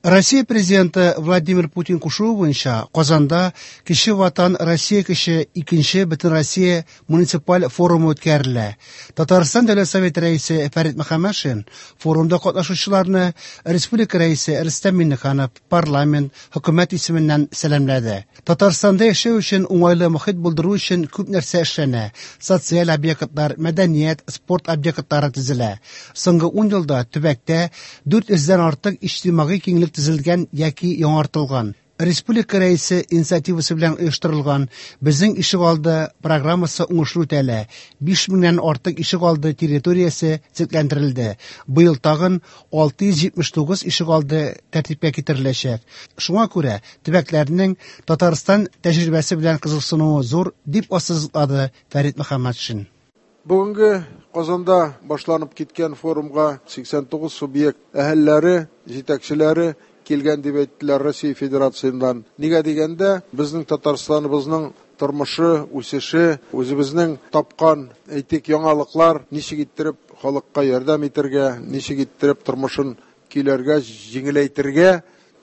Россия Президенты Владимир Путин кушуы буенча Казанда Кече Ватан Россия көче икенче Бөтенроссия муниципаль форумы үткәрелә. Татарстан Дәүләт Советы Рәисе Фәрит Мөхәммәтшин форумда катнашучыларны республика Рәисе Рөстәм Миңнеханов, парламент, хөкүмәт исеменнән сәламләде. Татарстанда яшәү өчен уңайлы мохит булдыру өчен күп нәрсә эшләнә. Социаль объектлар, мәдәният, спорт объектлары төзелә. Соңгы ун елда төбәктә 400 дән артык иҗтимагый киңлек төзелгән яки яңартылган. Республика Рәисе инициативасы белән оештырылган Безнең ишегалды программасы уңышлы үтәлә. 5 меңнән артык ишегалды территориясе төзекләндерелде. Быел тагын 679 ишегалды тәртипкә китереләчәк. Шуңа күрә төбәкләрнең Татарстан тәҗрибәсе белән кызыксынуы зур, дип ассызыклады Фәрит Мөхәммәтшин. Бүгенге Казанда башланып киткән форумга 89 субъект әһелләре, җитәкчеләре килгән дип әйттеләр Россия Федерациясеннән. Нигә дигәндә, безнең Татарстаныбызның тормышы, үсеше, үзебезнең тапкан, әйтик, яңалыклар ничек иттереп халыкка ярдәм итәргә, ничек иттереп тормышын көйләргә, җиңеләйтергә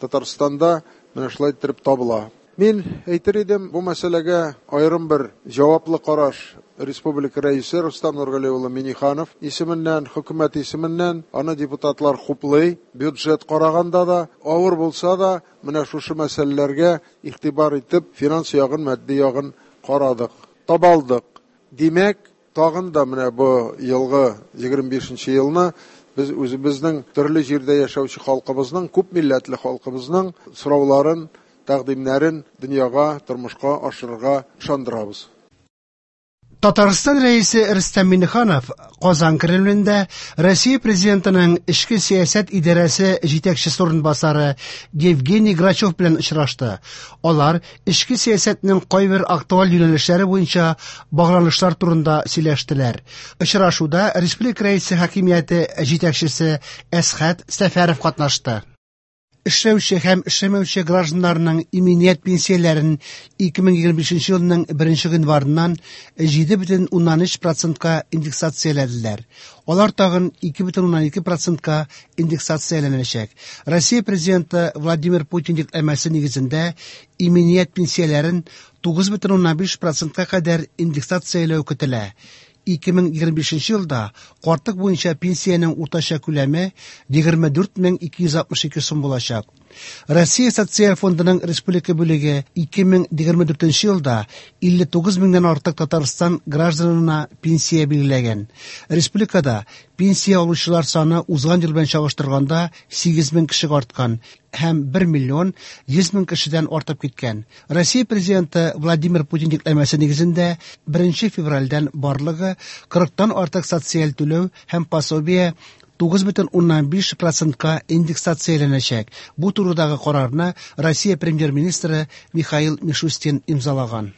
Татарстанда менә шулай иттереп табыла. Мин әйтер идем, бу мәсьәләгә аерым бер җаваплы караш республика рәисе Рустам Нургали улы Минниханов исеменнән, хөкүмәт исеменнән, аны депутатлар хуплый, бюджет караганда да, авыр булса да, менә шушы мәсьәләләргә игътибар итеп, финанс ягын, матди ягын карадык, табалдык. Димәк, тагын да менә бу елгы 25 елны без үзебезнең төрле җирдә яшәүче халкыбызның, күп милләтле халкыбызның сорауларын, тәкъдимнәрен дөньяга, тормышка ашырырга ышандырабыз. Татарстан Рәисе Рөстәм Миңнеханов Казан Кремлендә Россия Президентының эчке сәясәт идарәсе җитәкчесе урынбасары Евгений Грачев белән очрашты. Алар эчке сәясәтнең кайбер актуаль юнәлешләре буенча багланышлар турында сөйләштеләр. Очрашуда республика Рәисе хакимияте җитәкчесе Әсхәт Сәфәров катнашты. Эшләүче һәм эшләмәүче гражданнарның иминият пенсияләрен 2025 елның 1 гыйнварыннан 7,3 процентка индексацияләделәр. Алар тагын 2,2 процентка индексацияләнәчәк. Россия Президенты Владимир Путин йөкләмәсе нигезендә иминият пенсияләрен 9,5 процентка кадәр индексацияләү көтелә. 2025 елда картлык буенча пенсиянең уртача күләме 24262 сум булачак. Россия Социаль фондының республика бүлеге 2024 елда 59 меңнән артык Татарстан гражданына пенсия билгеләгән. Республикада пенсия алучылар саны узган ел белән чагыштырганда 8 мең кешегә арткан һәм 1 миллион 100 мең кешедән артып киткән. Россия Президенты Владимир Путин йөкләмәсе нигезендә 1 февральдән барлыгы 40-тан артык социаль түләү һәм пособие 9,5 процентка индексацияләнәчәк. Бу турыдагы карарны Россия премьер-министры Михаил Мишустин имзалаган.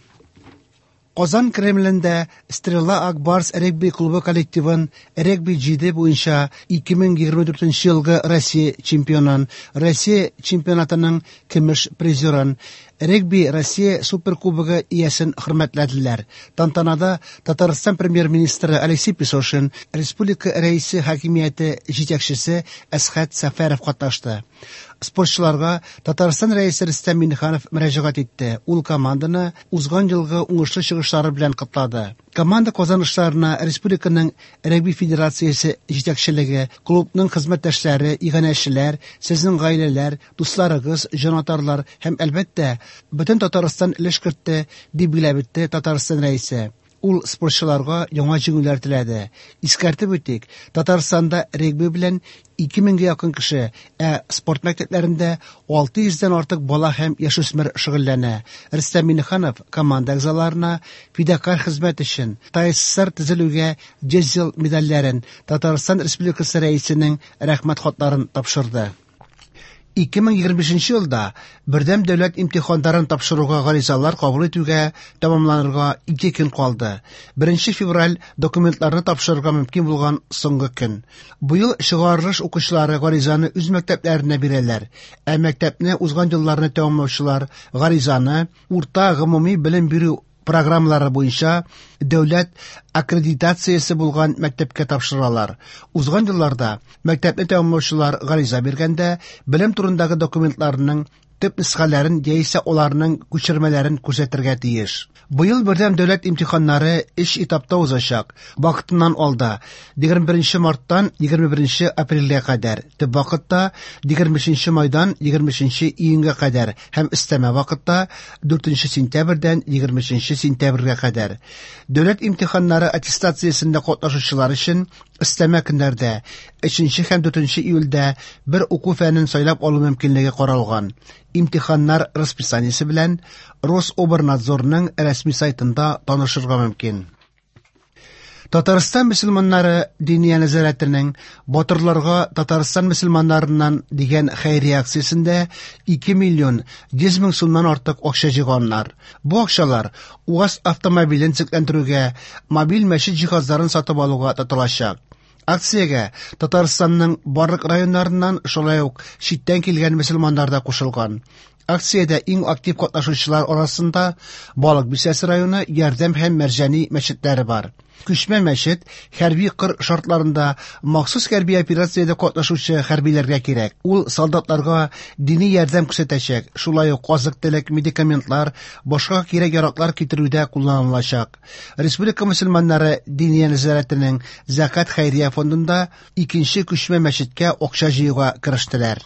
Казан Кремлендә Стрела Ак Барс регби клубы коллективын регби 7 буенча 2024 елгы Россия чемпионын, Россия чемпионатының көмеш призерын, регби Россия суперкубогы иясен хөрмәтләделәр. Тантанада Татарстан премьер-министры Алексей Песошин, республика рәисе хакимияте җитәкчесе Әсхәт Сәфәров катнашты. Спортчыларга Татарстан рәисе Рөстәм Миңнеханов мөрәҗәгать итте. Ул команданы узган елгы уңышлы чыгышлары белән котлады. Команда казанышларына республиканың регби федерациясе җитәкчелеге, клубның хезмәттәшләре, иганәчеләр, сезнең гаиләләр, дусларыгыз, җанатарлар һәм әлбәттә, бөтен Татарстан өлеш кертте, дип билгеләп үтте Татарстан рәисе. Ул спортчыларга яңа җиңүләр теләде. Искәртеп үтик, Татарстанда регби белән 2000гә якын кеше, ә спорт мәктәпләрендә 600дән артык бала һәм яшүсмер шөгыльләнә. Рөстәм Миңнеханов команда әгъзаларына фидакарь хезмәт өчен ТАССР төзелүгә 100 ел медальләрен, Татарстан Республикасы Рәисенең рәхмәт хатларын тапшырды. 2025 елда бердәм дәүләт имтиханнарын тапшыруга гаризалар кабул итүгә тәмамланырга 2 көн калды. 1 февраль документларны тапшырырга мөмкин булган соңгы көн. Быел чыгарылыш укучылары гаризаны үз мәктәпләренә бирәләр, ә мәктәпне узган елларны тәмамлаучылар гаризаны урта гомуми белем бирү программалары буенча дәүләт аккредитациясе булган мәктәпкә тапшыралар. Узган елларда мәктәпне тәмамлаучылар гариза биргәндә белем турындагы документларының төп нөсхәләрен яисә аларның күчермәләрен күрсәтергә тиеш. Быел бердәм дәүләт имтиханнары өч этапта узачак. Вакытыннан алда 21 марттан 21 апрельгә кадәр, төп вакытта 25 майдан 23 июньгә кадәр һәм өстәмә вакытта 4 сентябрьдән 23 сентябрьгә кадәр. Дәүләт имтиханнары аттестациясендә катнашучылар өчен өстәмә көннәрдә 3 һәм 4 июльдә бер уку фәнен сайлап алу мөмкинлеге каралган. Имтиханнар расписаниесе белән Рособрнадзорның рәсми сайтында танышырга мөмкин. Татарстан мөселманнары Диния нәзарәтенең Батырларга Татарстан мөселманнарыннан дигән хәйрия акциясендә 2 миллион 100 мең сумнан артык акча җыйганнар. Бу акчалар УАЗ автомобилен төзекләндерүгә, мобиль мәчет җиһазларын сатып алуга тотылачак. Акциягә Татарстанның барлык районнарыннан, шулай ук читтән килгән мөселманнар да кушылган. Акциядә иң актив катнашучылар арасында Балык Бистәсе районы Ярдәм һәм Мәрҗани мәчетләре бар. Күчмә мәчет хәрби кыр шартларында махсус хәрби операциядә катнашучы хәрбиләргә кирәк. Ул солдатларга дини ярдәм күрсәтәчәк, шулай ук азык-төлек, медикаментлар, башка кирәк-яраклар китерүдә кулланылачак. Республика мөселманнары Диния нәзарәтенең Зәкат хәйрия фондында икенче күчмә мәчеткә акча җыюга керештеләр.